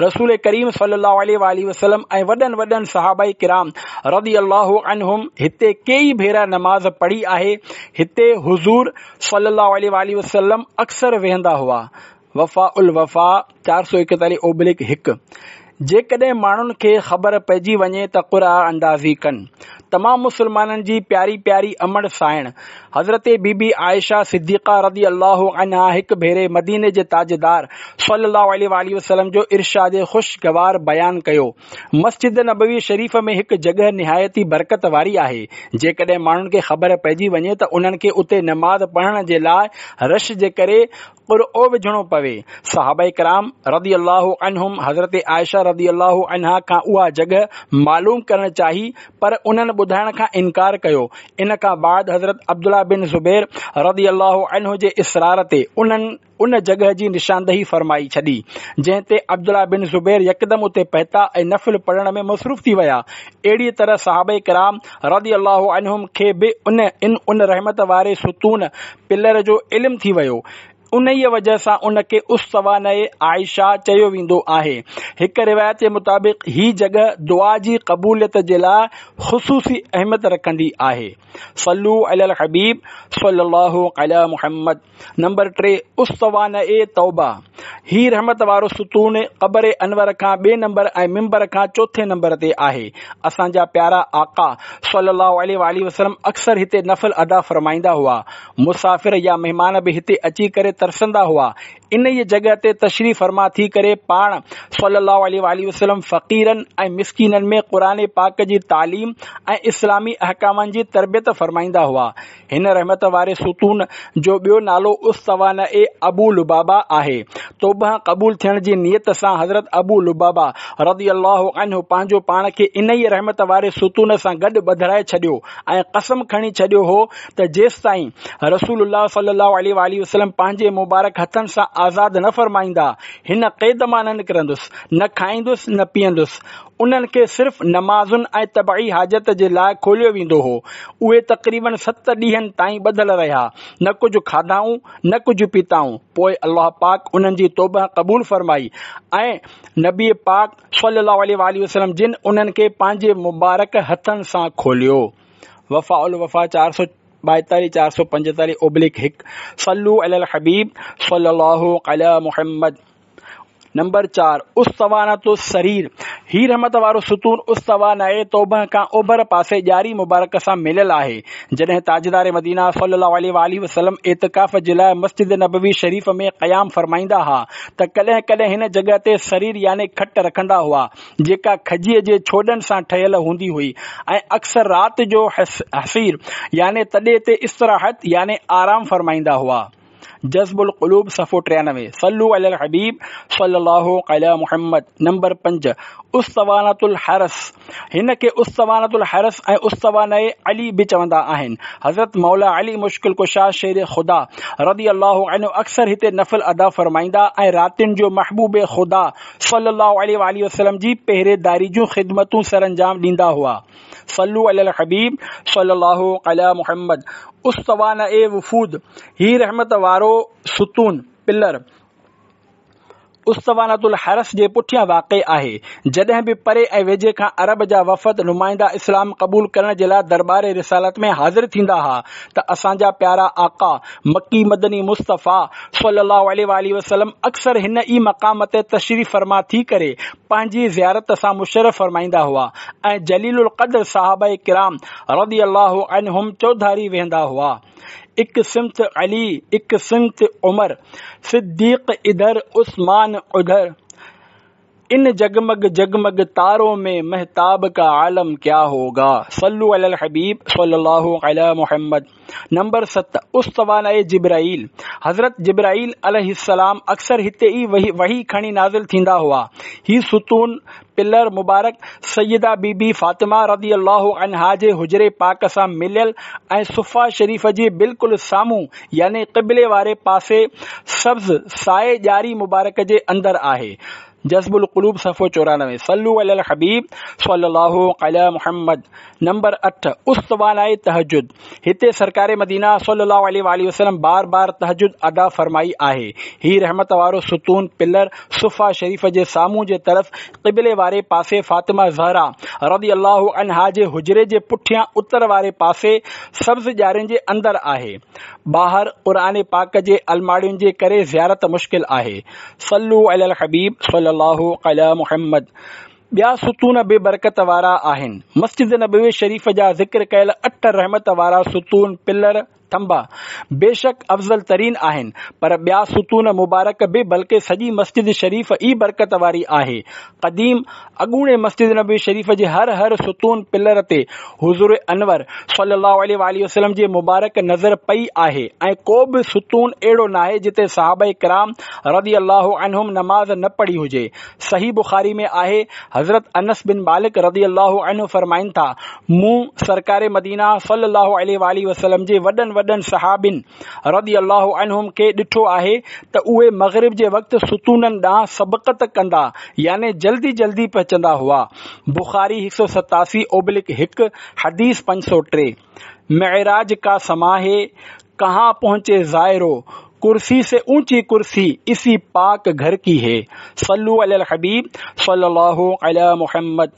رسول ڪريم صلي الله عليه واٰله وسلم ۽ وڏن وڏن صحابه ڪرام رضي الله عنهم هتي ڪيئي ڀيرا نماز پڙهي آهي هتي حضور صلي الله عليه واٰله وسلم اڪثر ويهندا هئا. وفاء الوفاء 441 اوبليڪ 1 جيڪڏهن ماڻهن کي خبر پئجي وڃي ته قرعه اندازي ڪن. تمام مسلمانن جي پياري پياري امڙ سائڻ حضرت بي بي عائشه صديقه رضي الله عنها هڪ ڀيري مديني جي تاجدار صلي الله عليه واٰله وسلم جو ارشاد خوشگوار بيان ڪيو مسجد نبوي شريف ۾ هڪ جڳهه نهايت ئي برڪت واري آهي، جيڪڏهن ماڻهن کي خبر پئجي وڃي ته انهن کي اتي نماز پڙهڻ جي لاء رش جي ڪري قرعو وجهڻو پوي. صحابه ڪرام رضي الله عنهم حضرت عائشه رضي الله عنها کان اها جڳهه معلوم ڪرڻ چاهي پر انهن ٻڌائڻ کان انڪار ڪيو. ان کان بعد حضرت عبدالله بن زبير رضي الله عنه جي اصرار تي انهن ان جڳهه جي نشاندهي فرمائي ڇڏي، جنهن تي عبدالله بن زبير يڪدم اتي پهتا ۽ نفل پڙهڻ ۾ مصروف ٿي ويا. اهڙيء طرح صحابه ڪرام رضي الله عنهم کي به ان ان ان رحمت واري ستون، پلر، جو علم ٿي ويو. انهيء وجه سان ان کي اسطوانه عائشه چيو ويندو آهي. هڪ روايت جي مطابق هي جڳهه دعا جي قبوليت جي لاء خصوصي اهميت رکندي آهي. صلو علی الحبيب صلي الله علي محمد. نمبر 3، اسطوانه توبه، هي رحمت وارو ستون قبر انور کان ٻئي نمبر ۽ منبر کان چوٿين نمبر تي آهي. اسان جا پيارا آقا صلي الله عليه واٰله وسلم اڪثر هتي نفل ادا فرمائيندا هئا. مسافر يا مهمان به هتي اچي ڪري ترسندا هئا. انهيء جڳهه تي تشريف فرما ٿي ڪري پاڻ صلي الله عليه واٰله وسلم فقيرن ۽ مسڪينن ۾ قرآن پاڪ جي تعليم ۽ اسلامي احڪامن جي تربيت فرمائيندا هئا. هن رحمت واري ستون جو ٻيو نالو اسطوانه ابو لبابه آهي. توبه قبول ٿيڻ جي نيت سان حضرت ابو لبابه رضي الله عنه پنهنجو پاڻ کي انهيء رحمت واري ستون سان گڏ ٻڌرائي ڇڏيو ۽ قسم کڻي ڇڏيو هو ته جيستائين رسول الله صلي الله عليه واٰله وسلم پنهنجي مبارڪ هٿن سان آزاد نه فرمائيندا هن قيد مان نه نڪرندس، نه کائيندس نه پيئندس. انهن کي صرف نمازن ۽ طبعي حاجت جي لاء کوليو ويندو هو. اهي تقريباً ست ڏينهن تائين ٻڌل رهيا، نه ڪجهه کاڌائون، نه ڪجهه پيتائون. پوء الله پاڪ انهن جي توبه قبول فرمائي ۽ نبي پاڪ صلي الله عليه واٰله وسلم جن انهن کي پنهنجي مبارڪ هٿن سان کوليو. وفاء الوفا 442 445 اوبليڪ 1 صلو علی الحبيب صلي الله علي محمد. نمبر 4، اسطوانة السرير، هي رحمت وارو ستون اسطوانه توبه کان اوڀر پاسي ڄاري مبارڪ سان مليل آهي. جڏهن تاجدار مدينه صلي الله عليه واٰله وسلم اعتڪاف جي لاء مسجد نبوي شريف ۾ قيام فرمائيندا ها ته ڪڏهن ڪڏهن هن جڳهه تي سرير يعني کٽ رکندا هئا جيڪا کجيء جي ڇوڏن سان ٺهيل هوندي هئي ۽ اڪثر رات جو حصير يعني تڏي تي استراحت يعني آرام فرمائيندا هئا. جذب القلوب صفحو 93. صلو علي الحبيب صلي الله علي محمد. نمبر 5، اسطوانة الحرس، هن کي اسطوانة الحرس ۽ اسطوانه علي به چوندا آهن. حضرت مولا علي مشڪل ڪشا شير خدا رضي الله عنه اڪثر هتي نفل ادا فرمائيندا ۽ راتين جو محبوب خدا صلي الله عليه واٰله وسلم جي پهريداري جون خدمتون سرانجام ڏيندا هئا. صلو علي الحبيب صلي الله علي محمد. اسطوانه وفود، هي رحمت وارو ستون، پلر، اسطوانة الحرس جي پٺيان واقع آهي. جڏهن به پري ۽ ويجهي کان عرب جا وفد نمائندا اسلام قبول ڪرڻ جي لاء درٻار رسالت ۾ حاضر ٿيندا ها ته اسان جا پيارا آقا مڪي مدني مصطفيٰ صلي الله عليه واٰله وسلم اڪثر هن ئي مقام تي تشريف فرما ٿي ڪري پنهنجي زيارت سان مشرف فرمائيندا هئا ۽ جليل القدر صحابه ڪرام رضي الله عنهم چوڌاري ويهندا هئا. اڪ سمت علي اڪ سمت عمر، صديق ادھر عثمان ادھر، ان جگمگ جگمگ تارو ۾ مهتاب کا عالم ڪيا هوگا. صلو علی الحبيب صلي الله علي محمد. نمبر 7، اسطوانه جبرائيل، حضرت جبرائيل عليه السلام اڪثر هتي ئي وحي کڻي نازل ٿيندا هئا. هي ستون، پلر، مبارڪ سيده بي بي فاطمه رضي الله عنها جي حجري پاڪ سان مليل ۽ صفه شريف جي بلڪل سامهون يعني قبلي واري پاسي سبز سائي ڄاري مبارڪ جي اندر آهي. جذب القلوب صفحو 94. صلو علی الحبيب صلي الله علي محمد. نمبر 8، اسطوانه تهجد، هتي سرڪار مدينه صلي الله عليه واٰله وسلم بار بار تهجد ادا فرمائي آهي. هي رحمت وارو ستون، پلر، صفه شريف جي سامهون جي طرف قبلي واري پاسي فاطمه زهرا رضي الله عنها جي حجري جي پٺيان اتر واري پاسي سبز ڄارين جي اندر آهي. ٻاهر قرآن پاڪ جي الماڙين جي ڪري زيارت مشڪل آهي. صلو علي الحبيب صلي الله علي محمد. ٻيا ستون به برڪت وارا آهن. مسجد نبوي شريف جا ذڪر ڪيل اٺ رحمت وارا ستون، پلر، ٿنڀا، بيشڪ افضل ترين آهن، پر ٻيا ستون مبارڪ به بلڪه سڄي مسجد شريف ئي برڪت واري آهي. قديم، اڳوڻي مسجد نبوي شريف جي هر هر ستون، پلر، تي حضور انور صلي الله عليه واٰله وسلم جي مبارڪ نظر پئي آهي ۽ ڪو به ستون اهڙو ناهي جتي صحابه ڪرام رضي الله عنهم نماز نه پڙهي هجي. صحيح بخاري ۾ آهي، حضرت انس بن مالڪ رضي الله عنه فرمائن ٿا، مون سرڪار مدينه صلي الله عليه واٰله وسلم جي وڏن وڏن صحابين رضي الله عنهم کي ڏٺو آهي ته اهي مغرب جي وقت ستونن ڏانهن سبقت ڪندا يعني جلدي جلدي پهچندا هئا. بخاري 187 اوبلڪ 1، حديث 503. معراج کا سما هي، ڪهان پهنچي زائرو، ڪرسي سي اونچي ڪرسي اسي پاڪ گهر ڪي هي. صلو علي الحبيب صلي الله علي محمد.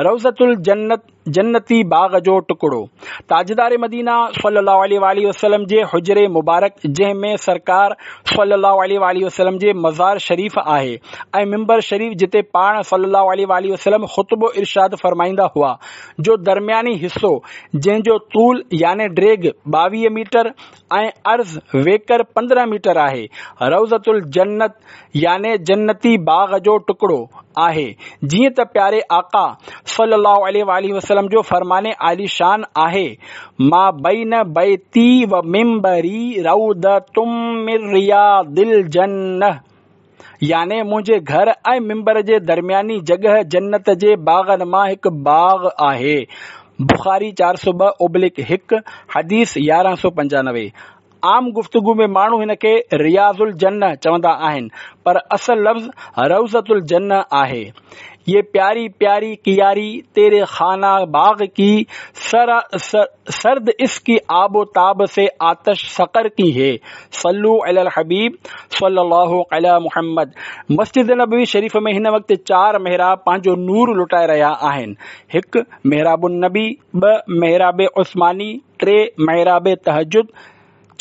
روضة الجنت جنتي باغ جو ٽڪڙو. تاجدار مدينه صلي الله عليه واٰله وسلم جي حجري مبارڪ جنهن ۾ سرڪار صلي الله عليه واٰله وسلم جي مزار شريف آهي ۽ منبر شريف جتي پاڻ صلي الله عليه واٰله وسلم خطبو ارشاد فرمائيندا هئا جو درمياني حصو جنهن جو طول يعني ڊيگهه 22 ميٽر ۽ عرض ويڪر 15 ميٽر آهي، روضة الجنت يعني جنتي باغ جو ٽڪڙو آهي، جيئن ته پياري آقا صلي الله عليه واٰله وسلم جو فرمان عالي شان آهي، ما بين بيتي و منبري روضة من رياض الجنة يعني منهنجي گهر ۽ منبر جي درمياني جڳهه جنت جي باغن مان هڪ باغ آهي. بخاري 402/1، حديث 1195. عام گفتگو ۾ ماڻهو هن کي رياض الجنة چوندا آهن، پر اصل لفظ روضة الجنة آهي. يه پياري پياري ڪياري تيري خانه باغ ڪي سرد اس ڪي آب و تاب سي آتش سقر ڪي هي صلو علي الحبيب صلي الله علي محمد. مسجد نبوي شريف ۾ هن وقت چار محراب پنهنجو نور لٽائي رهيا آهن، هڪ، محراب النبي، ٻه، محراب عثماني، ٽي، محراب تهجد،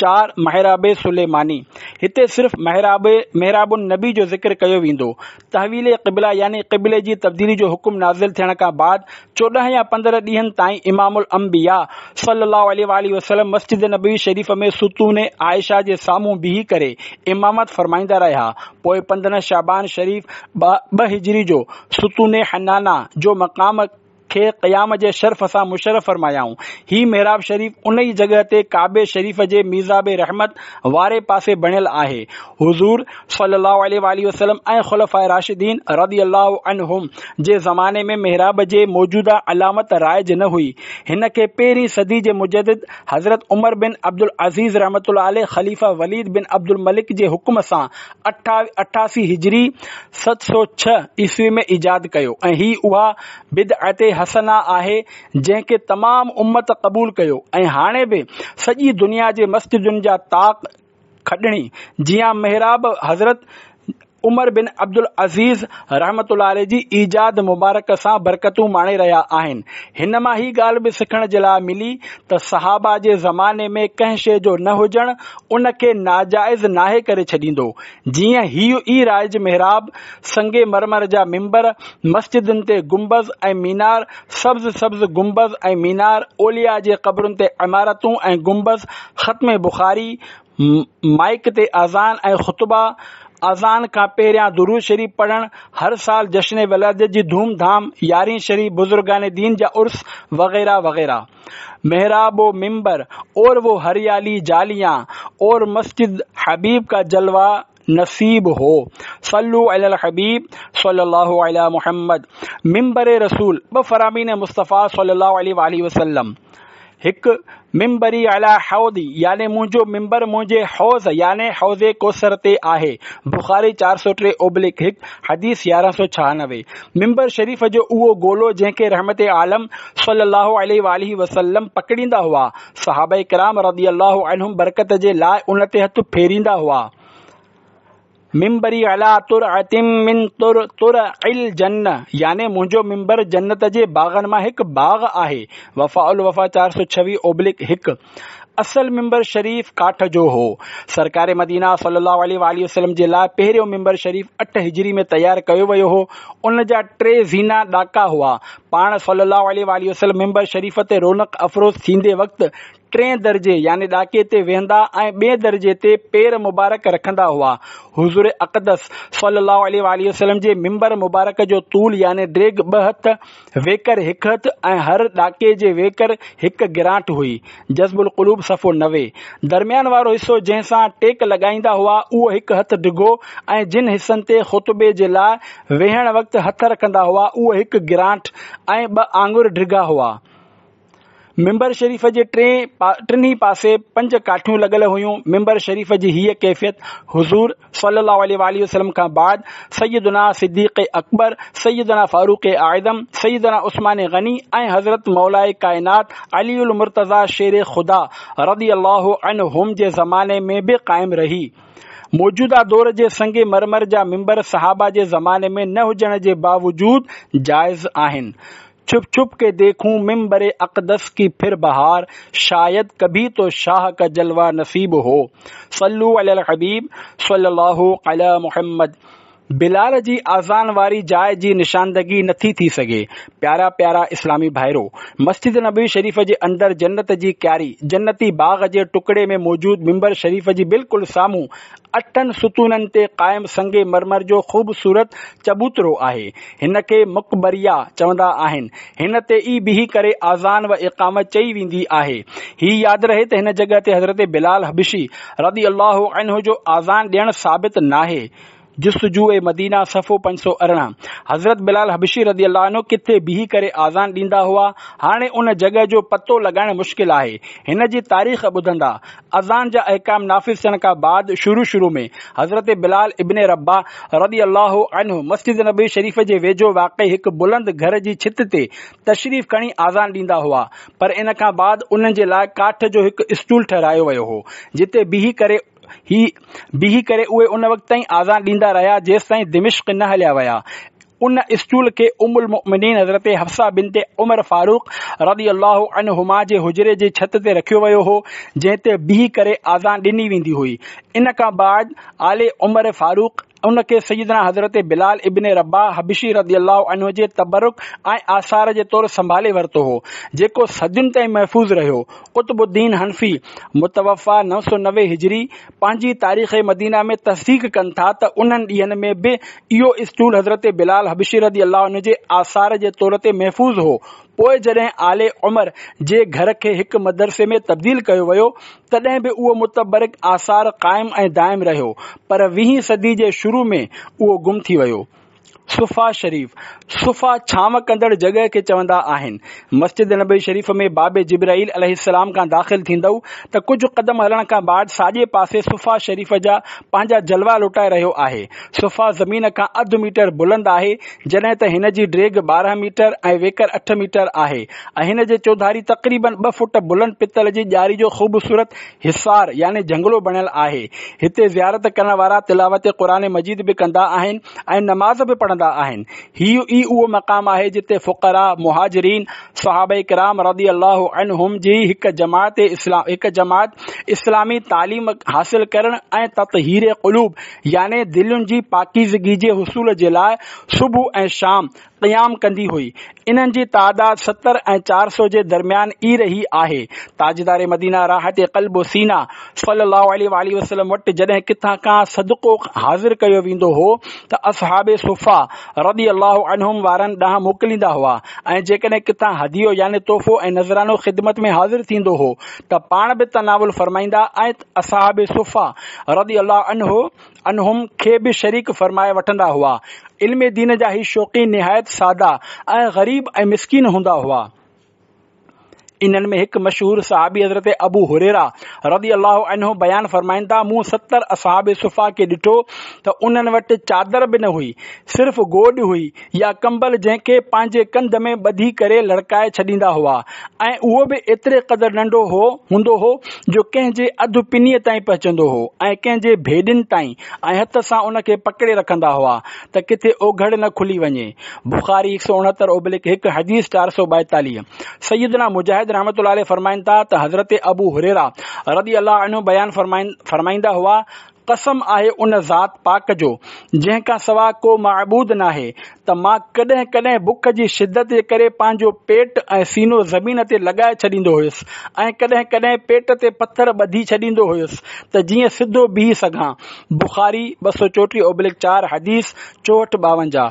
چار، محراب سليماني. هتي صرف محراب محراب النبي جو ذڪر ڪيو ويندو. تحويل قبله يعني قبلي جي تبديلي جو حڪم نازل ٿيڻ کان بعد 14 يا 15 ڏينهن تائين امام الانبياء صلي الله عليه واٰله وسلم مسجد نبوي شريف ۾ ستون عائشه جي سامهون بيهي ڪري امامت فرمائيندا رهيا. پوء 15 شعبان شريف 2 هجري جو ستون حنانه جو مقام. کي قيام جي شرف سان مشرف فرمايائون. هي محراب شريف ان ئي جڳهه تي ڪعبي شريف جي ميزاب رحمت واري پاسي بڻيل آهي. حضور صلي الله عليه واٰله وسلم ۽ خلفاء راشدين رضي الله عنهم جي زماني ۾ محراب جي موجوده علامت رائج نه هئي. هن کي پهرين صدي جي مجدد حضرت عمر بن عبدالعزيز رحمة الله عليه خليفه وليد بن عبدالملڪ جي حڪم سان 88 هجري 706 عيسوي ۾ ايجاد ڪيو ۽ هي اها بدعت حسنه آهي جنهن کي تمام امت قبول ڪيو ۽ هاڻي به سڄي دنيا جي مسجدن جا طاق کڏڻي جيان محراب حضرت عمر بن عبدالعزيز رحمة الله عليه جي ايجاد مبارڪ سان برڪتون ماڻي رهيا آهن. هن مان هي ڳالهه به سکڻ جي لاء ملي ته صحابه جي زماني ۾ ڪنهن شيء جو نه هجڻ ان کي ناجائز ناهي ڪري ڇڏيندو. جيئن هيء ئي رائج محراب، سنگ مرمر جا منبر، مسجدن تي گنبذ ۽ مينار، سبز سبز گنبذ ۽ مينار، اولياء جي قبرن تي عمارتون ۽ گنبذ، ختم بخاري، مائيڪ تي اذان ۽ خطبا، اذان کان پهريان درود شريف پڙهڻ، هر سال جشن ولادت جي ڌوم ڌام، يارهين شريف، بزرگان دين جا عرس وغيره وغيره. محراب و منبر اور وہ هريالي جاليان اور مسجد حبيب کا جلوه نصيب هو صلو علي الحبيب صلي الله علي محمد منبر رسول ٻه فرامين مصطفيٰ صلي الله عليه واٰله وسلم هڪ منبري علي حوضي يعني منهنجو منبر منهنجي حوض يعني حوض ڪوثر تي آهي بخاري 403 اوبلڪ 1 حديث 1196 منبر شريف جو اهو گولو جنهن کي رحمت عالم صلي الله عليه واٰله وسلم پڪڙيندا هئا صحابه ڪرام رضي الله عنهم برڪت جي لاء ان تي هٿ ڦيريندا هئا منبري علي ترعة من ترع الجنة يعني منهنجو منبر جنت جي باغن مان هڪ باغ آهي وفاء الوفا 426 اوبلڪ 1 اصل منبر شريف ڪاٺ جو هو. سرڪار مدينه صلي الله عليه واٰله وسلم جي لاء پهريون منبر شريف 8 هجري ۾ تيار ڪيو ويو هو. ان جا ٽي زينا ڏاڪا هئا. پاڻ صلي الله عليه واٰله وسلم منبر شريف تي رونق افروز ٿيندي وقت ٽئين درجي يعني ڏاڪي تي ويهندا ۽ ٻئي درجي تي پير مبارڪ رکندا هئا. حضور اقدس صلي الله عليه واٰله وسلم جي منبر مبارڪ جو طول يعني ڊيگهه ٻه هٿ، ويڪر هڪ هٿ ۽ هر ڏاڪي جي ويڪر هڪ گرانٺ هئي. جذب القلوب صفحو 90. درميان وارو حصو جنهن سان ٽيڪ لڳائيندا هئا اهو هڪ هٿ ڊگهو ۽ جن حصن تي خطبي جي لاء ويهڻ وقت هٿ رکندا هئا اهو هڪ گرانٺ ۽ ٻه آڱر ڊگها هئا. منبر شريف جي ٽنهي پاسي پنج ڪاٺيون لڳل هيون. منبر شريف جي هيء ڪيفيت حضور صلي الله عليه واٰله وسلم کان بعد سيدنا صديق اڪبر، سيدنا فاروق اعظم، سيدنا عثمان غني ۽ حضرت مولاء ڪائنات علي المرتضيٰ شير خدا رضي الله عنهم جي زماني ۾ به قائم رهي. موجوده دور جي سنگ مرمر جا منبر صحابه جي زماني ۾ نه هجڻ جي باوجود جائز آهن. چھپ چھپ کے ديکون منبر اقدس ڪي پھر بهار شايد ڪڀي تو شاهه کا جلوه نصيب هو صلو علي الحبيب صلي الله علي محمد بلال جي اذان واري جاء جي نشاندگي نٿي ٿي سگهي. پيارا پيارا اسلامي ڀائرو! مسجد نبوي شريف جي اندر جنت جي ڪياري، جنتي باغ جي ٽڪڙي ۾ موجود منبر شريف جي بلڪل سامهون اٺن ستونن تي قائم سنگ مرمر جو خوبصورت چبوترو آهي. هن کي مقبريه چوندا آهن. هن تي ئي بيهي ڪري اذان و اقامت چئي ويندي آهي. هي ياد رهي ته هن جڳهه تي حضرت بلال حبشي رضي الله عنه جو اذان ڏيڻ ثابت ناهي. جستجوء مدينه صفحو 518 حضرت بلال حبشي رضي الله عنه ڪٿي بيهي ڪري اذان ڏيندا هئا؟ هاڻي ان جڳهه جو پتو لڳائڻ مشڪل آهي. هن جي تاريخ ٻڌندا. اذان جا احڪام نافذ ٿيڻ کان بعد شروع شروع ۾ حضرت بلال ابن رباح رضي الله عنه مسجد نبوي شريف جي ويجهو واقع هڪ بلند گهر جي ڇت تي تشريف کڻي اذان ڏيندا هئا پر ان کان بعد انهن جي لاء ڪاٺ جو هڪ اسٽول ٺهرايو ويو هو جتي بيهي ڪري هي بيهي ڪري اهي ان وقت تائين اذان ڏيندا رهيا جيستائين دمشق نه هليا ويا. ان اسٽول کي ام المؤمنين حضرت حفصه بنت عمر فاروق رضي الله عنهما جي حجري جي ڇت تي رکيو ويو هو، جنهن تي بيهي ڪري اذان ڏني ويندي هئي. ان کان بعد آل عمر فاروق ان کي سيدنا حضرت بلال ابن رباح حبشي رضي الله عنه جي تبرڪ ۽ آثار جي طور سنڀالي ورتو هو، جيڪو صدين تائين محفوظ رهيو. قطب الدين حنفي، متوفيٰ 990 هجري، پنهنجي تاريخ مدينه ۾ تصديق ڪن ٿا ته انهن ڏينهن ۾ به اهو اسٽول حضرت بلال حبشي رضي الله عنه جي آثار جي طور تي محفوظ هو. پوء جڏهن آل عمر جي گهر کي هڪ مدرسي ۾ تبديل ڪيو ويو، تڏهن به اهو متبرڪ آثار قائم ۽ دائم رهيو، پر ويهين صدي جي شروع ۾ اهو گم ٿي ويو. صفا شريف، صفا ڇانو ڪندڙ جڳهه کي چوندا آهن. مسجد نبوي شريف ۾ باب جبرائيل عليه السلام کان داخل ٿيندؤ ته ڪجهه قدم هلڻ کان بعد ساڄي پاسي صفا شريف جا پنهنجا جلوا لٽائي رهيو آهي. صفا زمين کان اڌ ميٽر بلند آهي، جڏهن ته هن جي ڊيگهه 12 ميٽر ۽ ويڪر 8 ميٽر آهي ۽ هن جي چوڌاري تقريباً ٻه فوٽ بلند پتل جي ڄاري جو خوبصورت حصار يعني جهنگلو بڻيل آهي. هتي زيارت ڪرڻ وارا تلاوت قرآن مجيد به ڪندا آهن ۽ نماز به پڙهندا آهن. هي ئي اهو مقام آهي جتي فقراء، مهاجرين، صحابه ڪرام رضي الله عنهم جي هڪ جماعت هڪ جماعت اسلامي تعليم حاصل ڪرڻ ۽ تطهير قلوب يعني دلين جي پاڪيزگي جي حصول جي لاء صبح ۽ شام قيام ڪندي هئي. انهن جي تعداد 70 ۽ 400 جي درميان ئي رهي آهي. تاجدار مدينه راحت قلب و سينه صلي الله عليه واٰله وسلم وٽ جڏهن ڪٿان کان صدقو حاضر ڪيو ويندو هو ته اصحاب صفه رضي الله عنهم وارن ڏانهن موڪليندا هئا ۽ جيڪڏهن ڪٿان هديو يعني تحفو ۽ نذرانو خدمت ۾ حاضر ٿيندو هو ته پاڻ به تناول فرمائيندا ۽ اصحاب صفه رضي الله عنهم کي به شريڪ فرمائي وٺندا هئا. علم دين جا هي شوقين نهايت سادا ۽ غريب ۽ مسڪين هوندا هئا. انهن ۾ هڪ مشهور صحابي حضرت ابو هريره رضي الله عنه بيان فرمائن ٿا، مون 70 اصحاب صفه کي ڏٺو ته انهن وٽ چادر به نه هئي، صرف گوڏ هئي يا ڪمبل جنهن کي پنهنجي ڪنڌ ۾ ٻڌي ڪري لڙڪائي ڇڏيندا هئا ۽ اهو به ايتري قدر ننڍو هو هوندو هو جو ڪنهن جي اڌ پنيء تائين پهچندو هو ۽ ڪنهن جي ڀيڏين تائين ۽ هٿ سان ان کي پڪڙي رکندا هئا ته ڪٿي اوگهڙ نه کلي وڃي. بخاري 169/1 حديث 442. سيدنا مجاهد رحمة الله عليه فرمائن ٿا ته حضرت ابو هريره رضي الله عنه بيان فرمائيندا هئا، قسم آهي ان ذات پاڪ جو جنهن کان سوا ڪو معبود ناهي ته مان ڪڏهن ڪڏهن بک جي شدت جي ڪري پنهنجو پيٽ ۽ سينو زمين تي لڳائي ڇڏيندو هيس ۽ ڪڏهن ڪڏهن پيٽ تي پٿر ٻڌي ڇڏيندو هيس ته جيئن سڌو بيهي سگهان. بخاري 234/4 حديث 6452.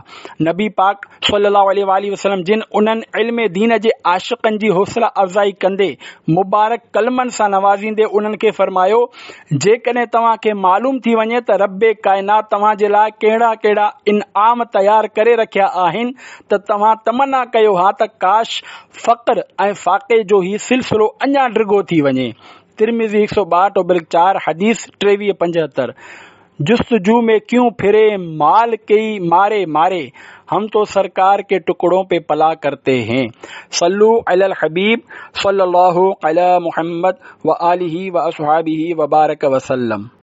نبي پاڪ صلي الله عليه واٰله وسلم جن انهن علم دين جي عاشقن جي حوصله افزائي ڪندي مبارڪ ڪلمن سان نوازيندي انهن کي فرمايو، جيڪڏهن توهان کي معلوم ٿي وڃي ته رب ڪائنات توهان جي لاء ڪهڙا ڪهڙا انعام تيار ڪري رکيا آهن ته توهان تمنا ڪيو ها ته ڪاش فقر ۽ فاقي جو هي سلسلو اڃا ڊگهو ٿي وڃي. ترمذي 162/4 حديث 2375. جستجو ۾ ڪيون ڦري مال ڪي ماري ماري هم تو سرڪار ڪي ٽڪڙون پي پلا ڪرتي هين صلو علی الحبيب صلي الله علی محمد وآله واصحابه وبارڪ وسلم.